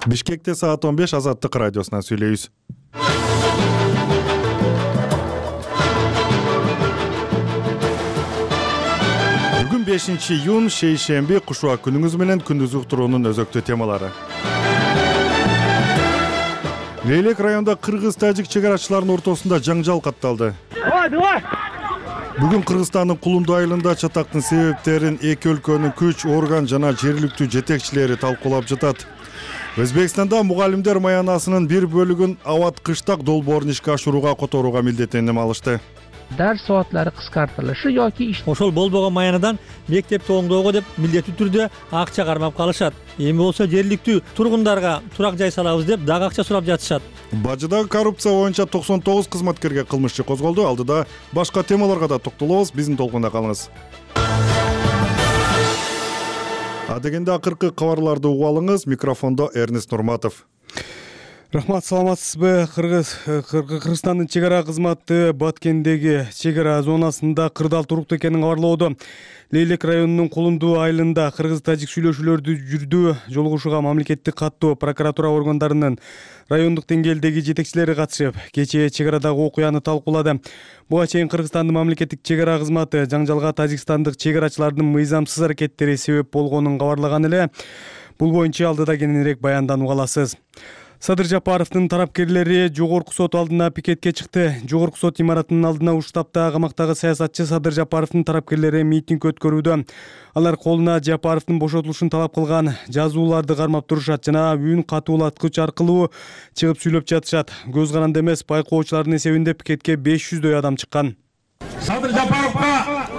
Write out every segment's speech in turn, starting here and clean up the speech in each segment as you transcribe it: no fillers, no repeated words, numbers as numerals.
Бишкекте саат 15 Азаттык радиосунан сүйлөйбүз. Бүгүн 5-июнь шейшемби кушуа күнүңүз менен күндүз уктуруунун өзөктүү темалары. Лейлек районунда кыргыз-тажик чек арачыларынын ортосунда жаңжал катталды. Бүгүн Кыргызстандын Кулунду айылында чатактын себептерин эки өлкөнүн күч, орган жана жергиликтүү жетекчилери талкуулап жатат. Өзбекстанда мугалимдер маянасынын бир бөлүгүн абат кыштак долбоорун ишке ашырууга которууга милдеттеним алышты. Дарс сааттары кыскартылышы yoki ошол болбогон маянадан мектепти оңдоого деп милдеттүү түрдө акча кармап калышат. Эми болсо жергиликтүү тургундарга турак жай салабыз деп дагы акча сурап жатышат. Бажыдагы коррупция боюнча 99 кызматкерге кылмыш иши козголду. Алдыда башка темаларга да токтолобуз. Биздин толкунда калыңыз. Адегенде акыркы кабарларды угуп алыңыз. Микрофондо Эрнест Нурматов. Рахмат, саламатсызбы? Кыргызстандын чек ара кызматы Баткендеги чек ара зонасында кырдаал туруктуу экенин кабарлоодо. Лейлек районунун Кулунду айылында кыргыз-тажик сүйлөшүүлөрдү жүрдү. Жолугушууга мамлекеттик каттоо, прокуратура органдарынын райондук деңгээлдеги жетекчилери катышып, кечээ чек арадагы окуяны талкуулады. Буга чейин Кыргызстандын мамлекеттик чек ара кызматы жаңжалга тажикстандык чек арачылардын мыйзамсыз аракеттери себеп болгонун кабарлаган эле. Бул боюнча алдыда кененирээк баянданып аласыз. Садыр Жапаровдун тарапкерлери жогорку сот алдына пикетке чыкты. Жогорку сот имаратынын алдына уштапта камактагы саясатчы Садыр Жапаровдун тарапкерлери митинг өткөрүүдө. Алар колуна Жапаровдун бошотулушун талап кылган жазууларды кармап турушат жана үн катуулаткыч аркылуу чыгып сүйлөп жатышат. Көз каранды эмес, байкоочулардын эсебинде пикетке 500дөй адам чыккан. Садыр Жапаровго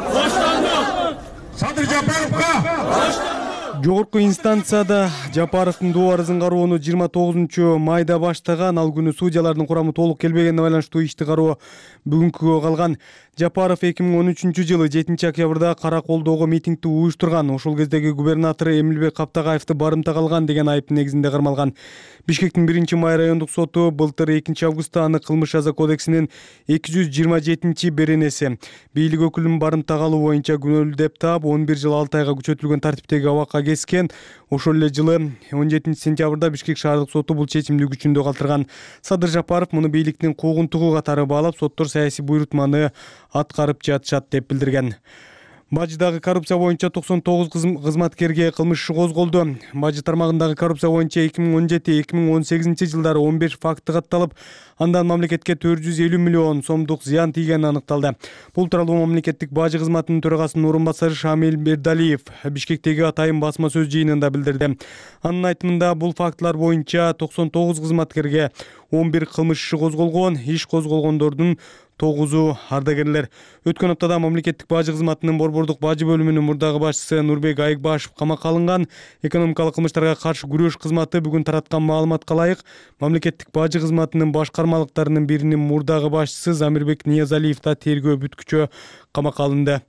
боштондук! Садыр Жапаровго! Жогорку инстанцияда Жапаровдун доо арызын кароону 29 майда баштаган. Ал күнү судьялардын курамы толук келбегенине байланыштуу ишти кароо бүгүнкүгө калган. Жапаров 2013-жылы 7-октябрда Караколдогу митингди уюштурган. Ошол кездеги губернатор Эмилбек Каптагаевди барымтага алган деген айыптын негизинде кармалган. Бишкектин 1-май райондук соту былтыр 2-августта аны кылмыш жаза кодексинин 227-беренеси бийлик өкүлүн барымтага алуу боюнча күнөөлүү деп таап 11 жыл 6 айга күчөтүлгөн тартиптеги абакка кескен. Ошол эле жылы 17-сентябрда Бишкек шаардык соту бул чечимди күчүндө калтырган. Садыр Жапаров муну бийликтин куугунтугу катары баалап, соттор саясий буйрутманы аткарып жатышат деп билдирген. Бажыдагы коррупция боюнча 99 кызматкерге кылмыш иши козголду. Бажы тармагындагы коррупция боюнча 2017-2018 жылдары 15 факты катталып, андан мамлекетке 450 миллион сомдук зыян тийгени аныкталды. Бул тууралуу мамлекеттик бажы кызматынын төрагасынын орун басары Шамил Бердалиев Бишкектеги атайын басма сөз жыйынында билдирди. Анын айтымында бул фактылар боюнча 99 кызматкерге 11 кылмыш иши козголгон, иш козголгондордун 9-у ардагерлер. Өткөн аптада мамлекеттик бажы кызматынын борбордук бажы бөлүмүнүн мурдагы башчысы Нурбек Айыкбашев камакка алынган. Экономикалык кылмыштарга каршы күрөш кызматы бүгүн тараткан маалыматка ылайык мамлекеттик бажы кызматынын башкармалыктарынын биринин мурдагы башчысы Замирбек Ниязалиев да тергөө бүткүчө камакка алынды.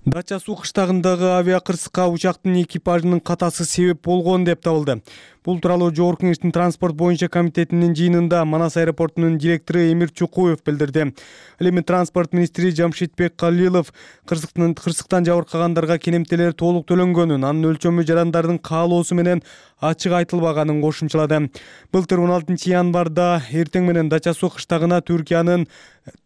Дача суу кыштагындагы авиакырсыкка учактын экипажынын катасы себеп болгон деп табылды. Бул тууралуу Жогорку Кеңештин транспорт боюнча комитетинин жыйынында Манас аэропортунун директору Эмир Чукуев билдирди. Ал эми транспорт министри Жамшитбек Калилов кырсыктан жабыркагандарга кенемтелер толук төлөнгөнүн, анын өлчөмү жарандардын каалоосу менен ачык айтылбаганын кошумчалады. Былтыр 16 январда эртең менен Дача суу кыштагына Түркиянын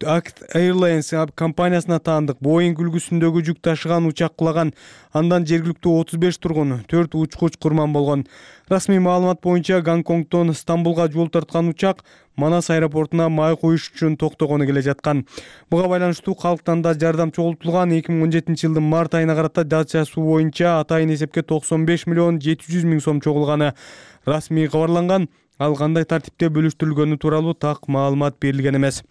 Act Airlines компаниясына таандык Boeing үлгүсүндөгү жүк ташыган учак кулаган. Андан жергиликтүү 35 тургун, 4 учкуч курман болгон. Расмий маалымат боюнча Гонконгдон Стамбулга жол тарткан учак Манас аэропортуна май коюш үчүн токтогону келе жаткан. Буга байланыштуу калктан да жардам чогултулган. 2017-жылдын март айына карата Дача суу боюнча атайын эсепке 95 миллион 700 миң сом чогулганы расмий кабарланган. Ал кандай тартипте бөлүштүрүлгөнү тууралуу так маалымат берилген эмес.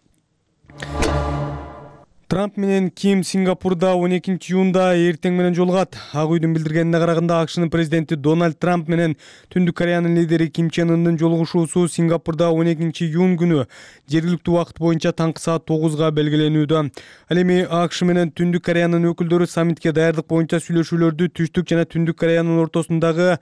Трамп менен Ким Сингапурда 12-июнда эртең менен жолугат. Ак үйдүн билдиргенине караганда АКШнын президенти Дональд Трамп менен Түндүк Кореянын лидери Ким Чен Ындын жолугушуусу Сингапурда 12-июнь күнү жергиликтүү убакыт боюнча таңкы саат 9-га белгиленүүдө. Ал эми АКШ менен Түндүк Кореянын өкүлдөрү саммитке даярдык боюнча сүйлөшүүлөрдү Түштүк жана Түндүк Кореянын ортосундагы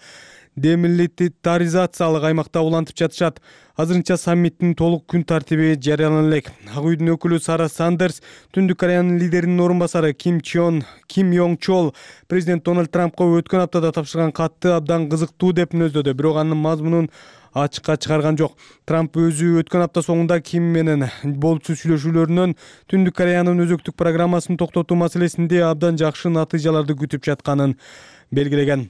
демилитаризациялык аймакта улантып жатышат. Азырынча саммиттин толук күн тартиби жарыялана элек. Ак үйдүн өкүлү Сара Сандерс Түндүк Кореянын лидеринин орун басары Ким Йонг Чол президент Дональд Трампка өткөн аптада тапшырган катты абдан кызыктуу деп мүнөздөдү, бирок анын мазмунун ачыкка чыгарган жок. Трамп өзү өткөн апта соңунда Ким менен болчу сүйлөшүүлөрүнөн Түндүк Кореянын өзөктүк программасын токтотуу маселесинде абдан жакшы натыйжаларды күтүп жатканын белгилеген.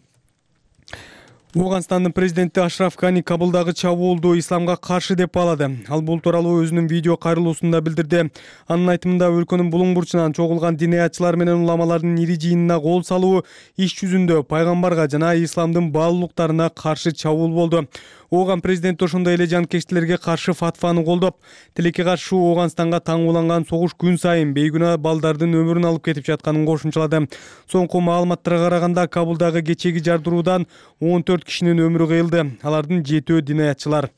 Ооганстандын президенти Ашраф Гани Кабулдагы чабуулду исламга каршы деп баалады. Ал бул тууралуу өзүнүн видео кайрылуусунда билдирди. Анын айтымында өлкөнүн булуң бурчунан чогулган диниятчылар менен уламалардын ири жыйынына кол салуу иш жүзүндө пайгамбарга жана исламдын баалуулуктарына каршы чабуул болду. Ооган президенти ошондой эле жанкечтилерге каршы фатваны колдоп, тилекке каршы Ооганстанга таңууланган согуш күн сайын бейгүнаа балдардын өмүрүн алып кетип жатканын кошумчалады. Соңку маалыматтарга караганда Кабулдагы кечеги жардыруудан 14 кишинин өмүрү кыйылды. Алардын 7-өө диниятчылар.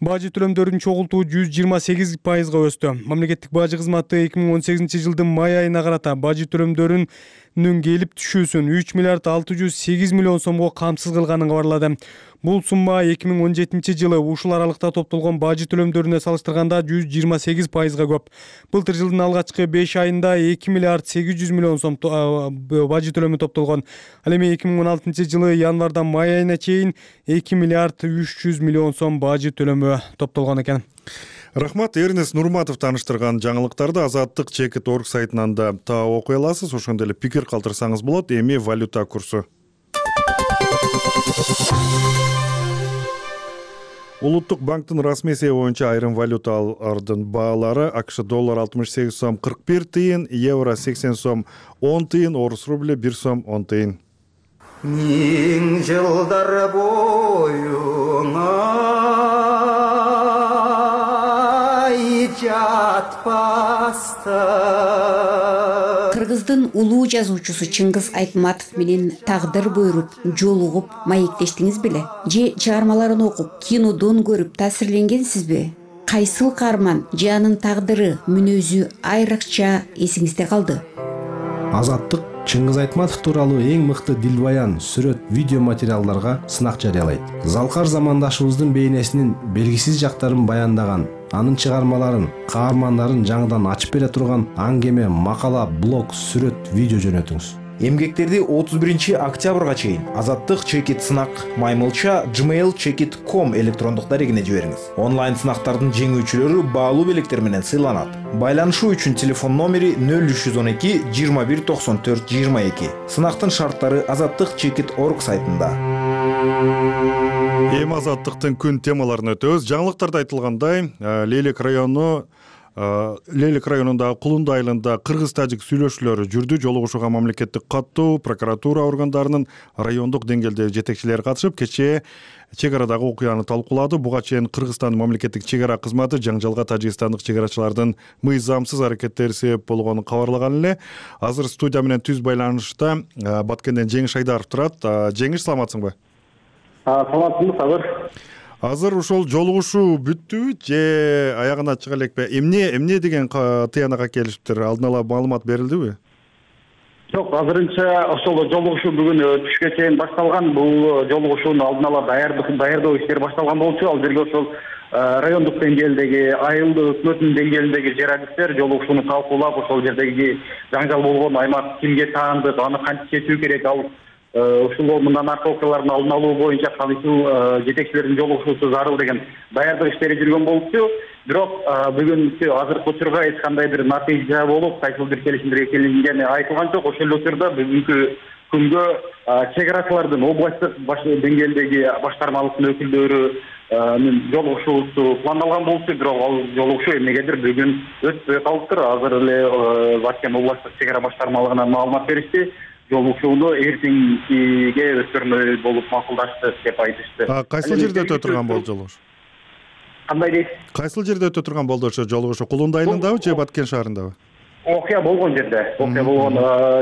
Бажы төлөмдөрүн чогултуу 128%га өстү. Мамлекеттик бажы кызматы 2018-жылдын май айына карата бажы төлөмдөрүнүн келип түшүүсүн 3 миллиард 608 миллион сомго камсыз кылганын кабарлады. Бул сумма 2017-жылы ушул аралыкта топтолгон бажы төлөмдөрүнө салыштырганда 128%га көп. Былтыр жылдын алгачкы 5 айында 2 миллиард 800 миллион сом бажы төлөмү топтолгон. Ал эми 2016-жылы январдан май айына чейин 2 миллиард 300 миллион сом бажы төлөмү топтолгон экен. Рахмат, Эрнест Нурматов тааныштырган жаңылыктарды Азаттык Чекит.org сайтынан да таап окуй аласыз. Ошондой эле пикир калтырсаңыз болот. Эми валюта курсу. Улуттук банктын расмий эсеби боюнча айрым валюталардын баалары: АКШ доллар 68 сом 41 тыйын, евро 80 сом 10 тыйын, орус рубль 1 сом 10 тыйын. Миң жылдар боюңа жатпастан. Кыргыздын улуу жазуучусу Чыңгыз Айтматов менен тагдыр буйруп жолугуп маектештиңиз беле? Же чыгармаларын окуп, кинодон көрүп таасирленгенсизби? Кайсыл каарман же анын тагдыры, мүнөзү айрыкча эсиңизде калды? Азаттык Чыңгыз Айтматов тууралуу эң мыкты дилбаян, сүрөт, видео материалдарга сынак жарыялайт. Залкар замандашыбыздын бейнесинин белгисиз жактарын баяндаган, анын чыгармаларын, каармандарын жаңыдан ачып бере турган аңгеме, макала, блог, сүрөт, видео жөнөтүңүз. Эмгектерди 31-октябрга чейин Азаттык Чекит сынак маймылча gmail.com электрондук дарегине жибериңиз. Онлайн сынактардын жеңүүчүлөрү баалуу белектер менен сыйланат. Байланышуу үчүн телефон номери 0312 21 94 22. Сынактын шарттары Азаттык Чекит.org сайтында. Эми Азаттыктын күн темаларын өтөбүз. Жаңылыктарда айтылгандай, Лелек районундагы Кулунду айылында кыргыз-тажик сүйлөшүүлөрү жүрдү. Жолугушууга мамлекеттик каттуу, прокуратура органдарынын райондук деңгээлдеги жетекчилери катышып, кечээ чек арадагы окуяны талкуулады. Буга чейин Кыргызстандын мамлекеттик чек ара кызматы жаңжалга тажикстандык чек арачылардын мыйзамсыз аракеттери себеп болгонун кабарлаган эле. Азыр студия менен түз байланышта Баткенден Жеңиш Айдаров турат. Жеңиш, саламатсыңбы? Саламатсызбы, Сабыр. Азыр ушул жолугушуу бүттүбү же аягына чыга элекпи? Эмне деген тыянакка келишиптир? Алдын ала маалымат берилдиби? Жок, азырынча ошол жолугушуу бүгүн түшкө чейин башталган. Бул жолугушуунун алдын ала даярдоо иштери башталган болчу. Ал жерге ошол райондук деңгээлдеги, айыл өкмөтүнүн деңгээлиндеги журналисттер жолугушууну талкуулап, ошол жердеги жаңжал болгон аймак кимге таандык, аны кантип чечүү керек, ал ушул мындан аркы окуялардын алдын алуу боюнча кайсыл жетекчилердин жолугушуусу зарыл деген даярдык иштери жүргөн болчу. Бирок бүгүнкү азыркы учурга эч кандай бир натыйжа болуп, кайсыл бир келишимдерге келингени айтылган жок. Ошол эле учурда бүгүнкү күнгө чек арачылардын областтык деңгээлдеги башкармалыктын өкүлдөрүнүн жолугушуусу пландалган болчу. Бирок ал жолугушуу эмнегедир бүгүн өтпөй калыптыр. Азыр эле Баткен областтык чек ара башкармалыгынан маалымат беришти. Жолугушууну эртеңкиге өткөрмөй болуп макулдашты деп айтышты. Кайсыл жерде өтө турган болду жолугушуу? Кандай дейт? Кайсыл жерде өтө турган болду ошо жолугушуу? Кулунду айылындабы же Баткен шаарындабы? Окуя болгон жерде. Окуя болгон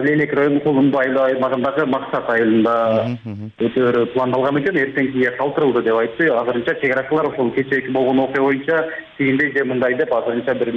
Лелек районунун Кулунду аймагындагы Максат айылында өтөрү пландалган экен. Эртеңкиге калтырылды деп айтты. Азырынча чек арачылар ошол кечээки болгон окуя боюнча тигиндей же мындай деп азырынча бир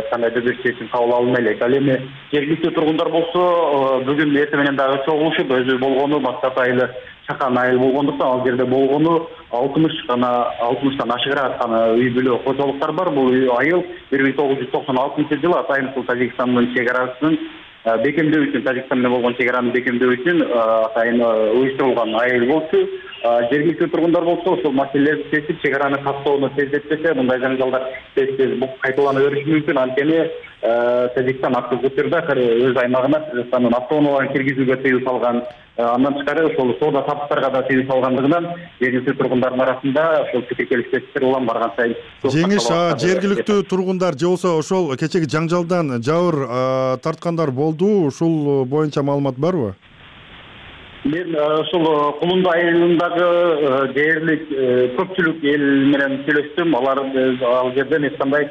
кандайдыр бир чечим кабыл алынбай элек. Ал эми жергиликтүү тургундар болсо бүгүн эртең менен дагы чогулушуп, өзү болгону Максат айылы чакан айыл болгондуктан ал жерде болгону 60-тан ашыгыраак гана үй бүлө кожолуктар бар. Бул айыл 1996-жылы Атайын Суу Тажикстандын чегарасынын бекемдөө үчүн, Тажикстан менен болгон чегараны бекемдөө үчүн атайын уюштурулган айыл болчу. Жергиликтүү тургундар болсо ошол маселелерди чечип, чегараны каттоону тездетпесе, мындай жаңжалдар тез кайталана бериши мүмкүн. Анткени Тажикстан активдүү түрдө өз аймагына Кыргызстандын автоунааларын киргизүүгө тыюу салган, андан тышкары ошол соода саттыктарга да тыюу салгандыгынан жергиликтүү тургундардын арасында ошол пикир келиштештиктер улам барган сайын жеңиш. Жергиликтүү тургундар же болбосо ошол кечеги жаңжалдан жабыр тарткандар болду, ушул боюнча маалымат барбы? Мен ошол Кулунду айылындагы дээрлик көпчүлүк эл менен сүйлөштүм. Алар ал жерден эч кандай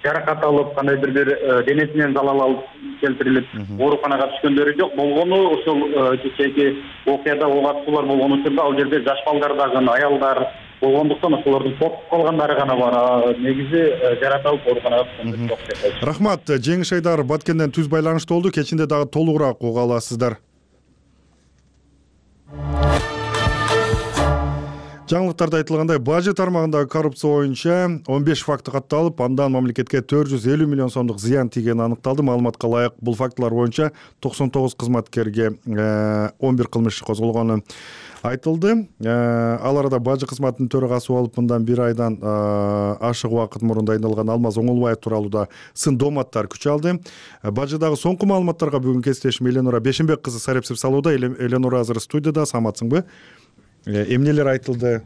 жаракат алып, кандайдыр бир денесинен залал алып келтирилип, ооруканага түшкөндөрү жок. Болгону ошол кечеги окуяда ок атуулар болгон учурда ал жерде жаш балдар дагы, аялдар болгондуктан ошолордун коркуп калгандары гана бар. Негизи жаракат алып ооруканага түшкөндөр жок деп айтышты. Рахмат. Жеңиш Айдар Баткенден түз байланышта болду. Кечинде дагы толугураак уга аласыздар. Жаңылыктарда айтылгандай, бажы тармагындагы коррупция боюнча 15 факты катталып, андан мамлекетке 450 миллион сомдук зыян тийгени аныкталды. Маалыматка ылайык, бул фактылар боюнча 99 кызматкерге 11 кылмыш козголгону айтылды. Ал арада бажы кызматынын төрагасы болуп, мындан 1 айдан ашык убакыт мурун дайындалган Алмаз Оңолбаев тууралуу да сын дооматтар күч алды. Бажыдагы соңку маалыматтарга бүгүн кесиптешим Эленора Бешенбек кызы сарепсип салууда. Эленора азыр студияда, саматсыңбы? Эмнелер айтылды?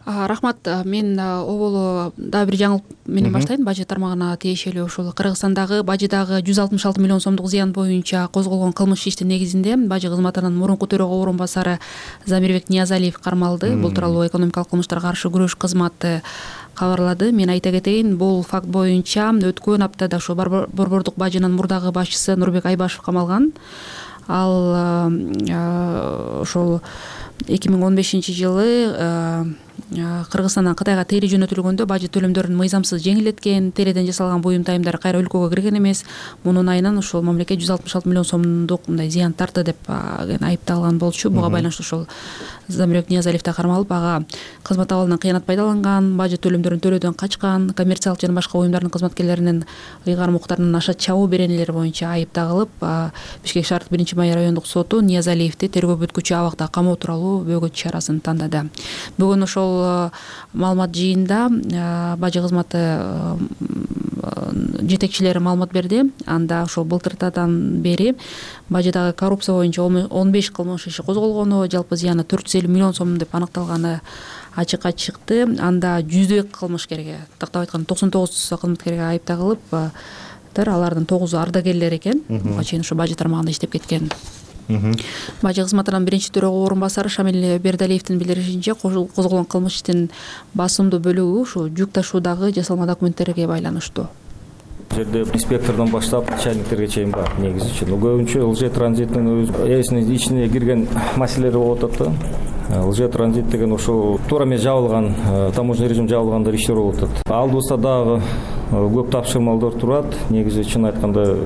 Рахмат. Мен оболу дагы бир жаңылык менен баштайм. Бажы тармагына тиешелүү ушул Кыргызстандагы бажыдагы 166 миллион сомдук зыян боюнча козголгон кылмыш иштин негизинде бажы кызматынын мурунку төрөгө орун басары Замирбек Ниязалиев кармалды. Бул тууралуу экономикалык кылмыштарга каршы күрөш кызматы кабарлады. Мен айта кетейин, бул факт боюнча өткөн аптада ошо Борбордук бажынын мурдагы башчысы Нурбек Айбашев камалган. Ал ошол 2015-жылы Кыргызстандан Кытайга тери жөнөтүлгөндө бажы төлөмдөрүн мыйзамсыз жеңилдеткен, териден жасалган буюм тайымдар кайра өлкөгө кирген эмес. Мунун айынан ошол мамлекет 166 миллион сомдук мындай зыян тартты деп айыпталган болчу. Буга байланыштуу ошол Замирбек Ниязалиев да кармалып, ага кызмат абалынан кыянат пайдаланган, бажы төлөмдөрүн төлөөдөн качкан, коммерциялык жана башка уюмдардын кызматкерлеринин ыйгарым укуктарынын аша чабуу беренелери боюнча айып тагылып, Бишкек шаардык 1-май райондук соту Ниязалиевди тергөө бүткүчү абакта камоо тууралуу бөгөт чарасын тандады. Бүгүн ошол маалымат жыйында бажы кызматы жетекчилери маалымат берди. Анда ошол былтыртадан бери бажыдагы коррупция боюнча 15 кылмыш иши козголгону, жалпы зыяны 450 миллион сом деп аныкталганы ачыкка чыкты. Анда 100 кылмышкерге, тактап айтканда 99 кызматкерге айып тагылып, алардын 9 ардагерлер экен. Буга чейин ошо бажы тармагында иштеп кеткен. Бажы кызматынын биринчи төрөгө орун басары Шамил Бердалиевдин билдиришинче, козголгон кылмыш иштин басымдуу бөлүгү ушу жүк ташуудагы жасалма документтерге байланыштуу. Жерде инспектордон баштап чайниктерге чейин бар негизи. Көбүнчө ЛЖ транзиттин өз эсинин ичине кирген маселелер болуп атат да. ЛЖ транзит деген ошол туура эмес жабылган, таможня режим жабылгандар иштер болуп атат. Алдыбызда дагы көп тапшырмалдар турат. Негизи чын айтканда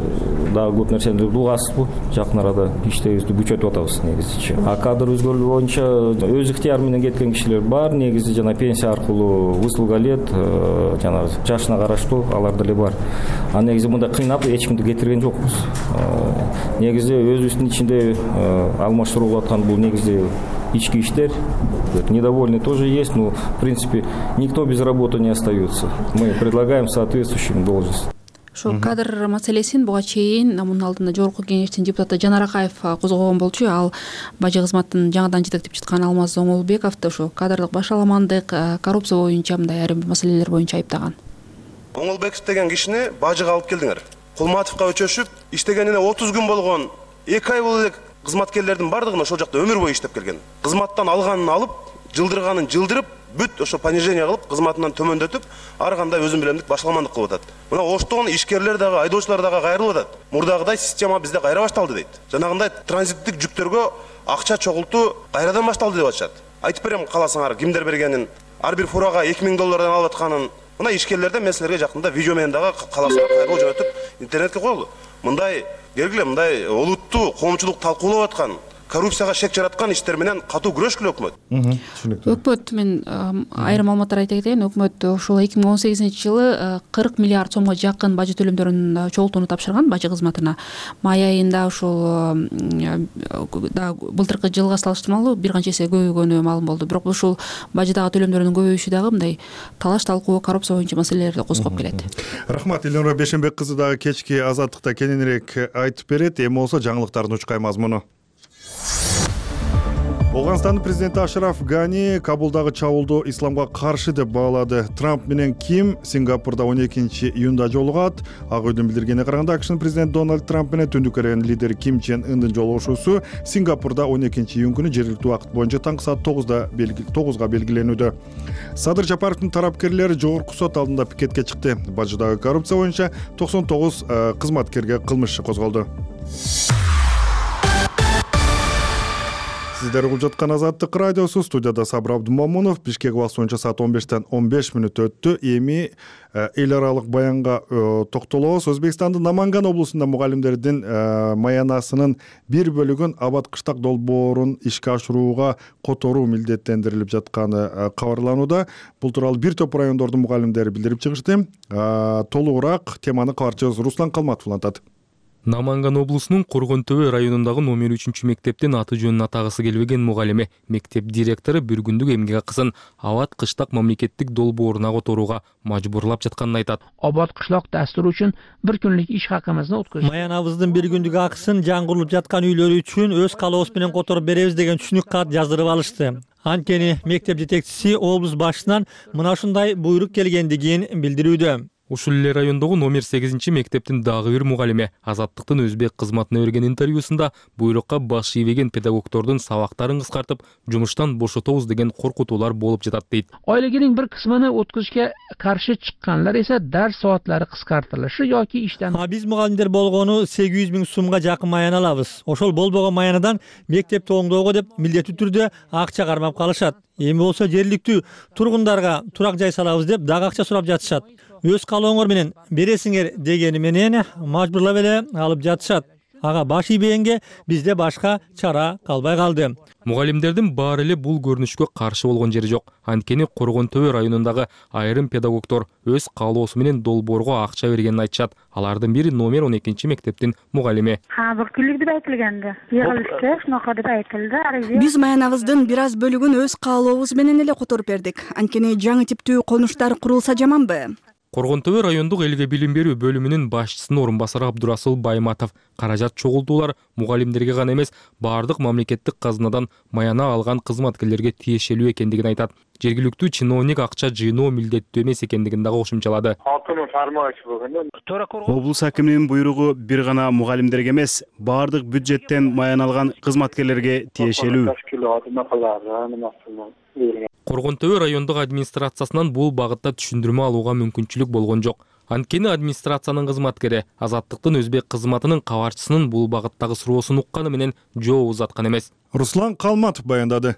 дагы көп нерсени дугасызбы. Жакын арада иштебизди күчөтүп атабыз негизичи. Кадр өзгөрүү боюнча өз ыктыяры менен кеткен кишилер бар. Негизи жана пенсия аркылуу высылга элет, жана жашына караштуу алар деле бар. Негизи мындай кыйнап эч кимди кетирген жокпуз. Негизи өзүбүздүн ичинде алмаштырылып аткан бул негизи ички иштер. Недовольные тоже есть, но в принципе никто без работы не остается. Мы предлагаем соответствующим должность. Ошол кадр маселесин буга чейин мунун алдында жогорку кеңештин депутаты Жанар Акаев козгогон болчу. Ал бажы кызматын жаңадан жетектеп жаткан Алмаз Оңолбековду ошо кадрлык башаламандык, коррупция боюнча мындай айрым маселелер боюнча айыптаган. Оңолбеков деген кишини бажыга алып келдиңер. Кулматовго өчөшүп, иштегенине 30 күн болгон, 2 ай болуп элек кызматкерлердин бардыгын ошол жакта өмүр бою иштеп келген. Кызматтан алганын алып, жылдырганын жылдырып, бүт ошо понижение кылып, кызматынан төмөндөтүп, ар кандай өзүн билемдик башаламандык кылып атат. Мына оштон ишкерлер дагы, айдоочулар дагы кайрылып атат. Мурдагыдай система бизде кайра башталды дейт. Жанагындай транзиттик жүктөргө акча чогултуу кайрадан башталды деп атышат. Айтып берем каласаңар, кимдер бергенин, ар бир фурага $2000 алып атканын. Мына ишкерлерден мен силерге жакында видео менен дагы каласаңар кайрылуу жөнөтүп интернетке коелу. Мындай келгиле, мындай олуттуу коомчулук талкуулап аткан коррупцияга шек жараткан иштер менен катуу күрөшкүлө өкмөт. Түшүнүктүү. Өкмөт мен айрым маалыматтар айта кетейин. Өкмөт ушул 2018-жылы 40 миллиард сомго жакын бажы төлөмдөрүн чогултууну тапшырган бажы кызматына. Май айында ушул былтыркы жылга салыштырмалуу бир канча эсе көбөйгөнү маалым болду. Бирок ушул бажыдагы төлөмдөрдүн көбөйүшү дагы мындай талаш талкуу, коррупция боюнча маселелерди козгоп келет. Рахмат, Элнура Бешенбек кызы дагы кечки Азаттыкта кененирээк айтып берет. Эми болсо жаңылыктардын учкай мазмуну. Афганстандын президенти Ашраф Гани Кабулдагы чабуулду исламга каршы деп баалады. Трамп менен Ким Сингапурда 12-июнда жолугат. Ак үйдүн билдиргенине караганда, АКШнын президенти Дональд Трамп менен Түндүк Кореянын лидери Ким Чен Ындын жолугушуусу Сингапурда 12-июнь күнү жергиликтүү убакыт боюнча таңкы саат 9-га белгиленүүдө. Садыр Жапаровдун тарапкерлери жогорку сот алдында пикетке чыкты. Бажыдагы коррупция боюнча 99 кызматкерге кылмыш иши козголду. Сиздер угуп жаткан Азаттык радиосу, студияда Сабыр Абдумамунов. Бишкек убакыты боюнча саат 15-тен 15 мүнөт өттү. Эми эл аралык баянга токтолобуз. Өзбекстандын Наманган облусунда мугалимдердин маянасынын бир бөлүгүн Абад кыштак долбоорун ишке ашырууга которуу милдеттендирилип жатканы кабарланууда. Бул тууралуу бир топ райондордун мугалимдери билдирип чыгышты. Толугураак теманы кабарчыбыз Руслан Калматов улантат. Наманган облусунун Коргон Төбө районундагы номер 3 мектептин аты жөнүн атагысы келбеген мугалиме мектеп директору бир күндүк эмгек акысын Абад кыштак мамлекеттик долбооруна которууга мажбурлап жатканын айтат. Abad qishloq dasturi uchun bir kunlik ish haqimizni o'tkazdik. Маянабыздын бир күндүк акысын жаңгырылып жаткан үйлөр үчүн өз калообуз менен которуп беребиз деген түшүнүк кат жаздырып алышты. Анткени мектеп жетекчиси облус башчысынан мына ушундай буйрук келгендигин билдирүүдө. Ушул эле райондогу номер 8 мектептин дагы бир мугалиме Азаттыктын өзбек кызматына берген интервьюсунда буйрукка баш ийбеген педагогдордун сабактарын кыскартып, жумуштан бошотобуз деген коркутуулар болуп жатат дейт. Oilaning bir qismini o'tkazishga qarshi chiqqanlar esa dars soatlari qisqartirilishi yoki ishdan. Биз мугалимдер болгону 800 миң сумга жакын маяна алабыз. Ошол болбогон маянадан мектепти оңдоого деп милдеттүү түрдө акча кармап калышат. Эми болсо жергиликтүү тургундарга турак жай салабыз деп дагы акча сурап жатышат. Өз калооңор менен бересиңер дегени менен мажбурлап эле алып жатышат. Ага баш ийбегенге бизде башка чара калбай калды. Мугалимдердин баары эле бул көрүнүшкө каршы болгон жери жок. Анткени Коргон Төбө районундагы айрым педагогдор өз каалоосу менен долбоорго акча бергенин айтышат. Алардын бири номер 12 мектептин мугалими. Бир күнлүк деп айтылганды. Йыгылышты, шунака деп айтылды. Биз маянабыздын бир аз бөлүгүн өз каалообуз менен эле которуп бердик. Анткени жаңы типтүү конуштар курулса жаманбы? Коргон Төбө райондук элге билим берүү бөлүмүнүн башчысынын орун басары Абдурасул Байматов каражат чогултуулар мугалимдерге гана эмес, баардык мамлекеттик казынадан маяна алган кызматкерлерге тиешелүү экендигин айтат. Жергиликтүү чиновник акча жыйноо милдеттүү эмес экендигин дагы кошумчалады. Облус акиминин буйругу бир гана мугалимдерге эмес, баардык бюджеттен маяна алган кызматкерлерге тиешелүү. Коргон Төбө райондук администрациясынан бул багытта түшүндүрмө алууга мүмкүнчүлүк болгон жок. Анткени администрациянын кызматкери Азаттыктын өзбек кызматынын кабарчысынын бул багыттагы суроосун укканы менен жооп узаткан эмес. Руслан Калматов баяндады.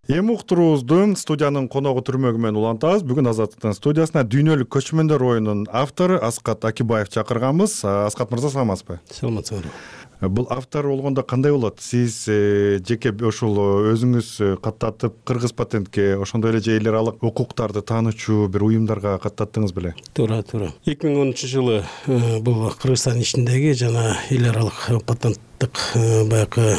Эми уктуруубузду студиянын коногу түрмөгү менен улантабыз. Бүгүн Азаттыктын студиясына дүйнөлүк көчмөндөр оюнунун автору Аскат Акибаев чакырганбыз. Аскат мырза, саламатсызбы? Саламатсызбы. Бул автор болгондо кандай болот? Сиз жеке ошол өзүңүз каттатып кыргыз патентке, ошондой эле эл аралык укуктарды таанычуу бир уюмдарга каттаттыңыз беле? Туура. 2013-жылы бул Кыргызстан ичиндеги жана эл аралык патенттик баягы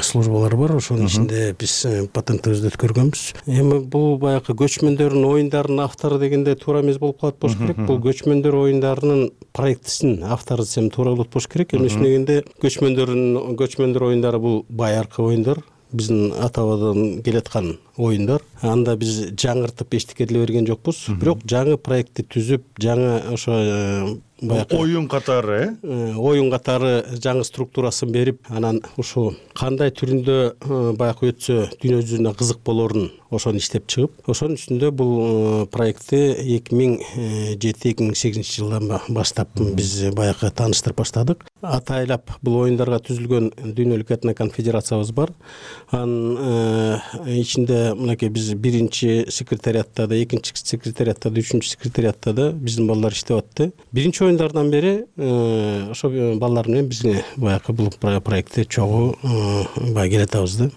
службалар бар. Ошонун ичинде биз патенттибизди өткөргөнбүз. Эми бул баягы көчмөндөрдүн оюндарынын автору дегенде туура эмес болуп калат болуш керек. Бул көчмөндөр оюндарынын проектисинин автору десем туура болот болуш керек. Эмне дегенде көчмөндөр оюндары бул байыркы оюндар, биздин ата-бабадан келаткан оюндар. Анда биз жаңыртып эчтеке деле берген жокпуз. Бирок жаңы проектти түзүп, жаңы ошо оюн катары, оюн катары жаңы структурасын берип, анан ушул кандай түрүндө баягы өтсө дүйнө жүзүнө кызык болорун ошону иштеп чыгып, ошонун үстүндө бул проектти 2007-2008 жылдан баштап биз баягы тааныштырып баштадык. атайлап бул оюндарга түзүлгөн дүйнөлүк этно конфедерациябыз бар. Анын ичинде мынакей биз биринчи секретариатта да, экинчи секретариатта да, үчүнчү секретариатта да биздин балдар иштеп атты. Биринчи оюндардан бери ошо балдар менен биз баягы бул проектте чогуу баягы келатабыз да.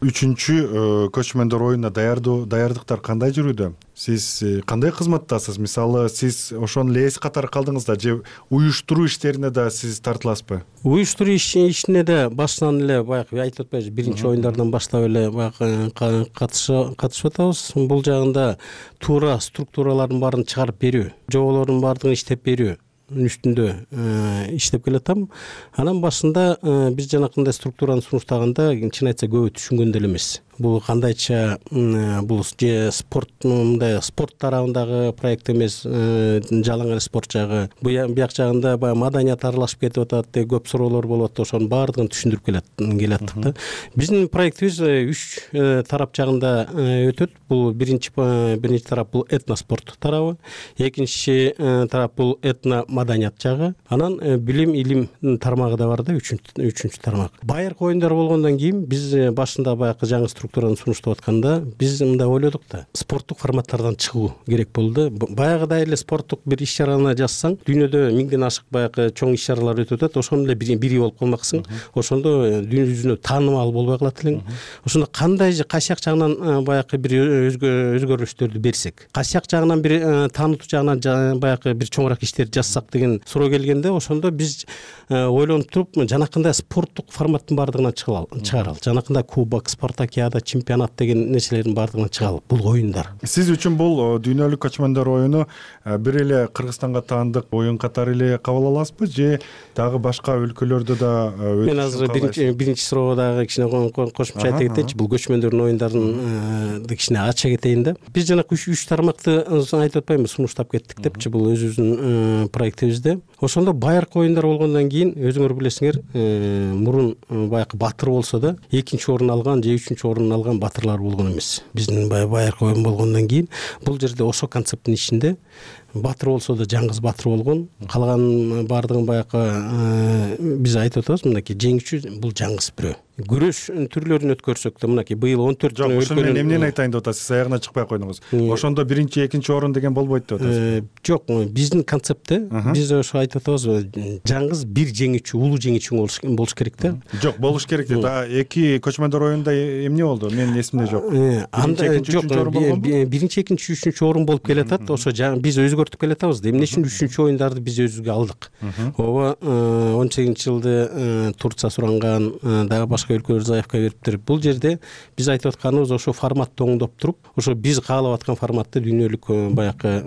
Үчүнчү көчмөндөр оюнуна даярдыктар кандай жүрүүдө? Сиз кандай кызматтасыз? Мисалы, сиз ошону эле эс катары калдыңыз да же уюштуруу иштерине да сиз тартыласызбы? Уюштуруу ишине да башынан эле баягы айтып атпайбызбы, биринчи оюндардан баштап эле баягы катышып атабыз. Бул жагында туура структуралардын баарын чыгарып берүү, жоболордун баардыгын иштеп берүү үстүндө иштеп келатам. Анан башында биз жанакындай структураны сунуштаганда чын айтса көбү түшүнгөн деле эмес. Бул кандайча бул же спорт тарабындагы проект эмес, жалаң эле спорт жагы. Бияк жагында баягы маданият аралашып кетип атат, көп суроолор болуп атат. Ошонун баардыгын түшүндүрүп келаттык да. Биздин проектибиз 3 тарап жагында өтөт. Бул биринчи тарап бул этноспорт тарабы, экинчи тарап бул этно маданият жагы, анан билим илим тармагы да бар да, үчүнчү тармак. Байыркы оюндар болгондон кийин биз башында баягы жаңы структураны сунуштап атканда биз мындай ойлодук да, спорттук форматтардан чыгуу керек болду. Баягыдай эле спорттук бир иш чараны жазсаң, дүйнөдө 1000ден ашык баягы чоң иш чаралар өтүп атат. Ошонун эле бири болуп калмаксың. Ошондо дүйнө жүзүнө таанымал болбой калат элең. Ошондо кандай кайсыяк жагынан баягы бир өзгөрүштөрдү берсек, кайсыяк жагынан бир таанытуу жагынан баягы бир чоңураак иштерди жазсак деген суроо келгенде, ошондо биз ойлонуп туруп жанакындай спорттук форматтын баардыгынан чыгаралы. Жанакындай кубок, спартакиада, чемпионат деген нерселердин баардыгынан чыгалы. Бул оюндар. Сиз үчүн бул дүйнөлүк көчмөндөр оюну бир эле Кыргызстанга таандык оюн катары эле кабыл аласызбы же дагы башка өлкөлөрдө да? Мен азыр биринчи суроого дагы кичине кошумча айта кетейинчи. Бул көчмөндөрдүн оюндарын кичине ача кетейин да. Биз жанакы 3 тармакты айтып атпаймынбы, сунуштап кеттик депчи, бул өзүбүздүн проектибизде. Ошондо байыркы оюндар болгондон кийин өзүңөр билесиңер, мурун баягы батыр болсо да, экинчи орун алган же үчүнчү орун алган батырлар болгон эмес. Биздин байыркы оюн болгондон кийин бул жерде ошо концепттин ичинде батыр болсо да жаңгыз батыр болгон, калган баардыгын баягы биз айтып атабыз, мынакей жеңүүчү бул жаңгыз бирөө. Күрөш түрлөрүн өткөрсөк да, мынакей быйыл 14 жок, ошону мен эмнени айтайын деп атасыз? Сиз аягына чыкпай койдуңуз. Ошондо биринчи, экинчи орун деген болбойт деп атасыз. Жок, биздин концептте биз ошо айтып атабыз, жаңгыз бир жеңүүчү, улуу жеңүүчү болуш керек да. Жок, болуш керек да. Эки көчмөндөр оюнда эмне болду? Менин эсимде жок. Биринчи, экинчи, үчүнчү орун болуп келатат. Ошо биз өзгөртүп келатабыз да. Эмне үчүн үчүнчү оюндарды биз өзүбүзгө алдык? Ооба 18-жылды Турция суранган, дагы башка өлкөлөр заявка бериптир. Бул жерде биз айтып атканыбыз ошо форматты оңдоп туруп, ошо биз каалап аткан форматты дүйнөлүк баягы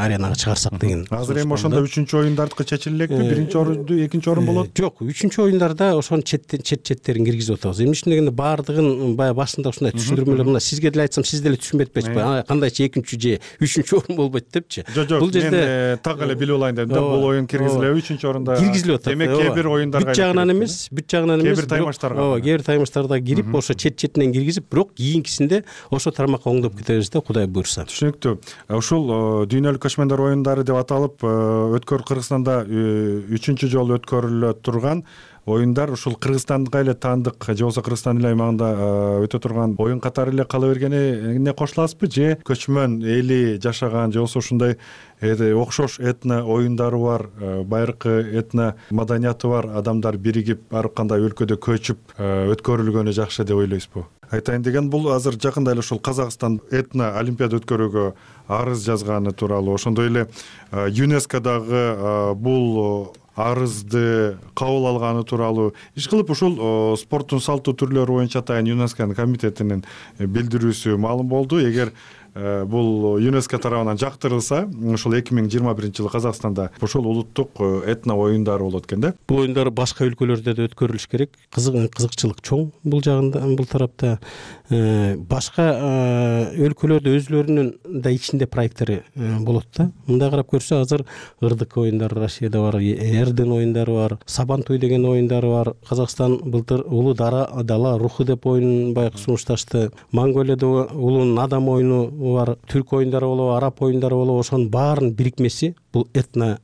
аренага чыгарсак деген. Азыр эми ошондо үчүнчү оюндардыкы чечиле элекпи? Биринчи орунду, экинчи орун болот? Жок, үчүнчү оюндарда ошонун четтерин киргизип атабыз. Эмне үчүн дегенде баардыгын баягы башында ушундай түшүндүрмөлөр, мына сизге деле айтсам, сиз деле түшүнбөй атпайсызбы? Кандайча экинчи же үчүнчү орун болбойт депчи. Бул жерде так эле билип алайын дедим да, бул оюн киргизилеби үчүнчү орунда? Киргизилип атат. Демек кээ бир оюндарга бүт жагынан эмес, кээ бир таймаштарга. Кээ бир таймаштарда кирип, ошо четинен киргизип, бирок кийинкисинде ошо тармакка оңдоп кетебиз да, Кудай буйрса. Түшүнүктүү. Ушул дүйнөлүк көчмөндөр оюндары деп аталып, Кыргызстанда 3-чү жолу өткөрүлө турган оюндар ушул Кыргызстанга эле таандык же болбосо Кыргызстан эле аймагында өтө турган оюн катары эле кала бергенине кошуласызбы же көчмөн эли жашаган же болбосо ушундай окшош этно оюндары бар, байыркы этно маданияты бар адамдар биригип ар кандай өлкөдө көчүп өткөрүлгөнү жакшы деп ойлойсузбу? Айтайын деген, бул азыр жакында эле ушул Казакстан этно олимпиада өткөрүүгө арыз жазганы тууралуу, ошондой эле ЮНЕСКОдагы бул арызды кабыл алганы тууралуу иш кылып, ушул спорттун салттуу түрлөрү боюнча атайын ЮНЕСКОнун комитетинин билдирүүсү маалым болду. Эгер бул ЮНЕСКО тарабынан жактырылса, ушул 2021-жылы Казакстанда ушул улуттук этно оюндар болот экен да. Бул оюндар башка өлкөлөрдө да өткөрүлүш керек. Кызыкчылык чоң бул жагында, бул тарапта. Башка өлкөлөрдө өзлөрүнүн да ичинде проекттери болот да. Мындай карап көрсө, азыр ырдык оюндары Россияда бар, Эрден оюндары бар, Сабантуй деген оюндары бар. Казакстан былтыр улуу дала руху деп оюнун баягы сунушташты. Монголияда улуу Надам оюну бар, түрк оюндары болобу, араб оюндары болобу, ошонун баарынын бирикмеси бул этно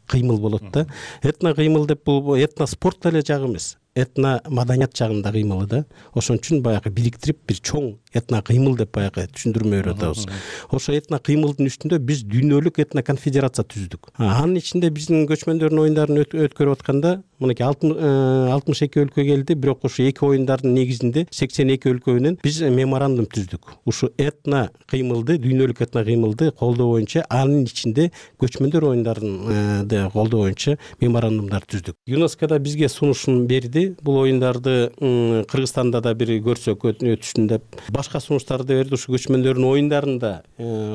кыймыл болот да. Этно кыймыл деп бул этно спорт эле жагы эмес, этно маданият жагында кыймылы да. Ошон үчүн баягы бириктирип бир чоң этно кыймыл деп баягы түшүндүрмө берип атабыз. Ошо этно кыймылдын үстүндө биз дүйнөлүк этно конфедерация түздүк. Анын ичинде биздин көчмөндөрдүн оюндарын өткөрүп атканда мынакей 62 өлкө келди, бирок ушу эки оюндардын негизинде 82 өлкө менен биз меморандум түздүк. Ушу этно кыймылды, дүйнөлүк этно кыймылды колдоо боюнча, анын ичинде көчмөндөр оюндарын колдоо боюнча меморандумдар түздүк. ЮНЕСКО бизге сунушун берди. Бул оюндарды Кыргызстанда да бир көрсөк өтүшүн деп, башка сунуштарды берди. Ушу көчмөндөрдүн оюндарында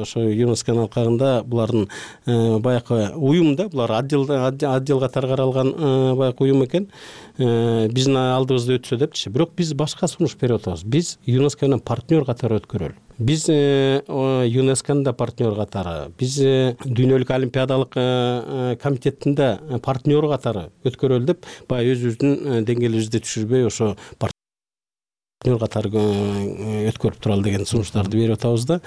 ошо ЮНЕСКОнун алкагында булардын баягы уюм да, булар отдел катары каралган баягы уюм экен. Биздин алдыбызда өтсө депчи. Бирок биз башка сунуш берип атабыз. Биз ЮНЕСКО менен партнер катары өткөрөлү. Биз ЮНЕСКОнун да партнер катары, биз дүйнөлүк олимпиадалык комитеттин да партнер катары өткөрөлү деп, баягы өзүбүздүн деңгээлибизди түшүрбөй ошо партнер катары өткөрүп туралы деген сунуштарды берип атабыз да.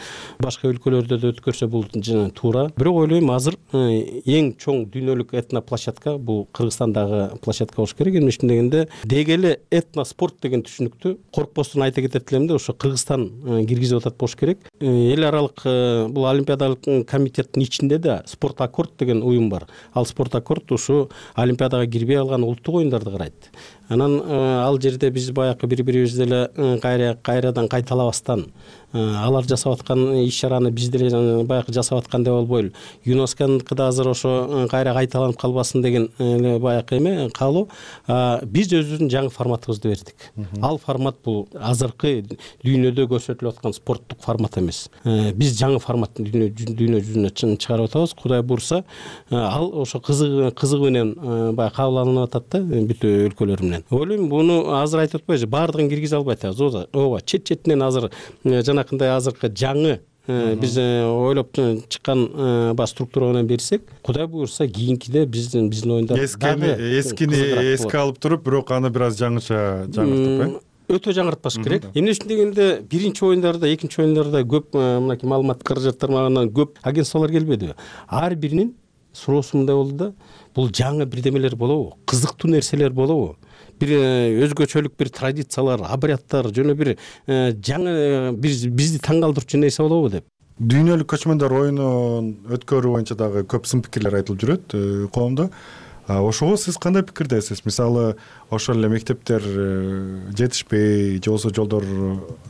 Башка өлкөлөрдө да өткөрсө бул туура. Бирок ойлойм, азыр эң чоң дүйнөлүк этно площадка бул Кыргызстандагы площадка болуш керек. Эмне үчүн дегенде, деги эле этно спорт деген түшүнүктү коркпостон айта кетет элем да, ошо Кыргызстан киргизип атат болуш керек. Эл аралык бул олимпиадалык комитеттин ичинде да спорт аккорд деген уюм бар. Ал спорт аккорд ушу олимпиадага кирбей алган улуттук оюндарды карайт. Анан ал жерде биз баягы бири-бирибизди эле кайрадан кайталабастан алар жасап аткан иш-чараны биз деле баягы жасап аткандай болбойлу. ЮНЕСКОнуку да азыр ошо кайра кайталанып калбасын деген баягы эме каалоо. Биз өзүбүздүн жаңы форматыбызды бердик. Ал формат бул азыркы дүйнөдө көрсөтүлүп аткан спорттук формат эмес. Биз жаңы форматты дүйнө жүзүнө чыгарып атабыз. Кудай буйрса, ал ошо кызыгы менен баягы кабыл алынып атат да бүт өлкөлөр менен. Ойлойм, буну азыр айтып атпайбыз, баардыгын киргизе албай атабыз. Ооба, чет-четинен азыр жанакындай азыркы жаңы биз ойлоп чыккан структура менен берсек, Кудай буйрса кийинкиде биздин оюндар эскини эске алып туруп, бирок аны бир аз жаңыртып, өтө жаңыртпаш керек. Эмне үчүн дегенде, биринчи оюндарда, экинчи оюндарда көп мынакей маалымат каражаттар магынан көп агентстволор келбедиби? Ар биринин суроосу мындай болду да, бул жаңы бирдемелер болобу? Кызыктуу нерселер болобу? Бир өзгөчөлүк бир традициялар, обрядтар, жана бир жаңы бизди таң калтырчу нерсе болобу деп. Дүйнөлүк көчмөндөр оюнун өткөрүү боюнча дагы көп сын пикирлер айтылып жүрөт коомдо. Ошого сиз кандай пикирдесиз? Мисалы, ошол эле мектептер жетишпей, же болбосо жолдор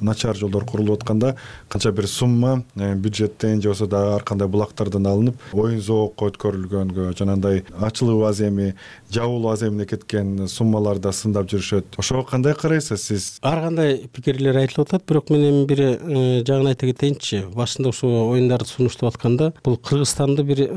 начар жолдор курулуп атканда канча бир сумма бюджеттен же болбосо дагы ар кандай булактардан алынып, оюн зоокко өткөрүлгөнгө, жанагындай ачылуу аземи, жабылуу аземине кеткен суммалар да сындап жүрүшөт. Ошого кандай карайсыз сиз? Ар кандай пикирлер айтылып атат, бирок мен эми бир жагын айта кетейинчи. Башында ушул оюндарды сунуштап атканда, бул Кыргызстанды бир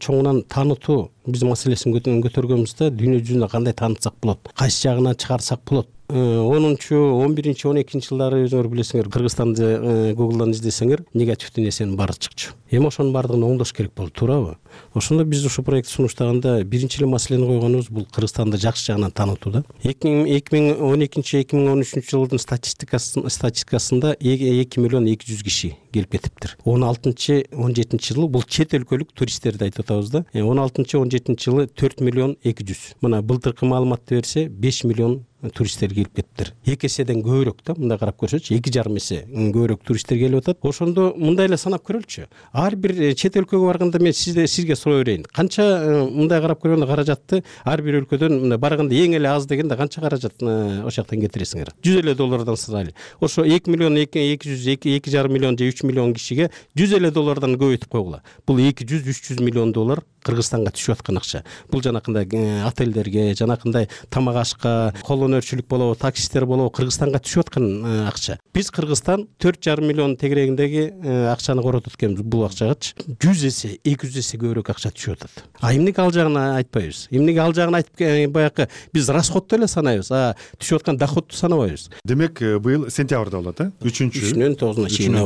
чоңунан таанытуу биз маселесин көтөргөнбүз да, дүйнө жүзүнө кандай таанытсак болот, кайсы жагына чыгарсак болот. 10-11, 12 жылдары өзүңөр билесиңер, Кыргызстанды Google'дан издесеңер, негативдүү нерсенин баары чыкчу. Эми ошонун баардыгын оңдош керек болду, туурабы? Ошондо биз ушул проект сунуштаганда биринчи эле маселени койгонубуз бул Кыргызстанды жакшы жагынан таанытуу да. 2012-2013 жылдын статистикасында 2 миллион 200 киши келип кетиптир. 16-17 жылы бул чет өлкөлүк туристтерди айтып атабыз да. 16-17 жылы 4 миллион 200. Мына былтыркы маалыматты берсе 5 миллион туристтер келип кетиптир. 2 эседен көбүрөөк да, мындай карап көрсөчү, 2,5 эсе көбүрөөк туристтер келип атат. Ошондо мындай эле санап көрөлүчү. Ар бир чет өлкөгө барганда мен сизге суроо берейин. Канча мындай карап көргөндө каражатты ар бир өлкөдөн мындай барганда эң эле аз дегенде канча каражат ошол жактан кетиресиңер? $100 сырайлы. Ошо 2 миллион 200, 2,5 миллион же 3 миллион кишиге $100 көбөйтүп койгула. Бул $200-300 миллион Кыргызстанга түшүп аткан акча. Бул жанакындай отелдерге, жанакындай тамак ашка, колонөрчүлүк болобу, таксисттер болобу, Кыргызстанга түшүп аткан акча. Биз Кыргызстан 4,5 миллион тегерегиндеги акчаны коротуп атканбыз. Бул акчагачы 100 эсе, 200 эсе көбүрөөк акча түшүп атат. Эмнеге ал жагын айтпайбыз? Эмнеге ал жагын айтып баягы биз расходду эле санайбыз, түшүп аткан доходду санабайбыз. Демек, быйыл сентябрда болот, 3-9 чейин.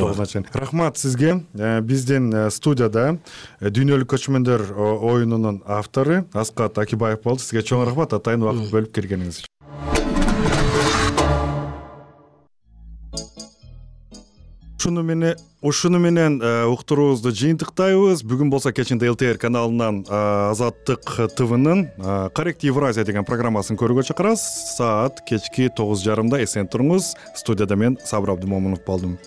Рахмат сизге. Биздин студияда дүйнөлүк көчмөндөр оюнунун автору Аскат Акибаев болду. Сизге чоң рахмат, атайын убакыт бөлүп келгениңиз үчүн. Ушуну менен уктуруубузду жыйынтыктайбыз. Бүгүн болсо кечинде ЛТР каналынан Азаттык ТВнын Коррект Евразия деген программасын көрүүгө чакырабыз. Саат кечки 9:30 эсен туруңуз. Студияда мен Сабыр Абдымомунов болдум.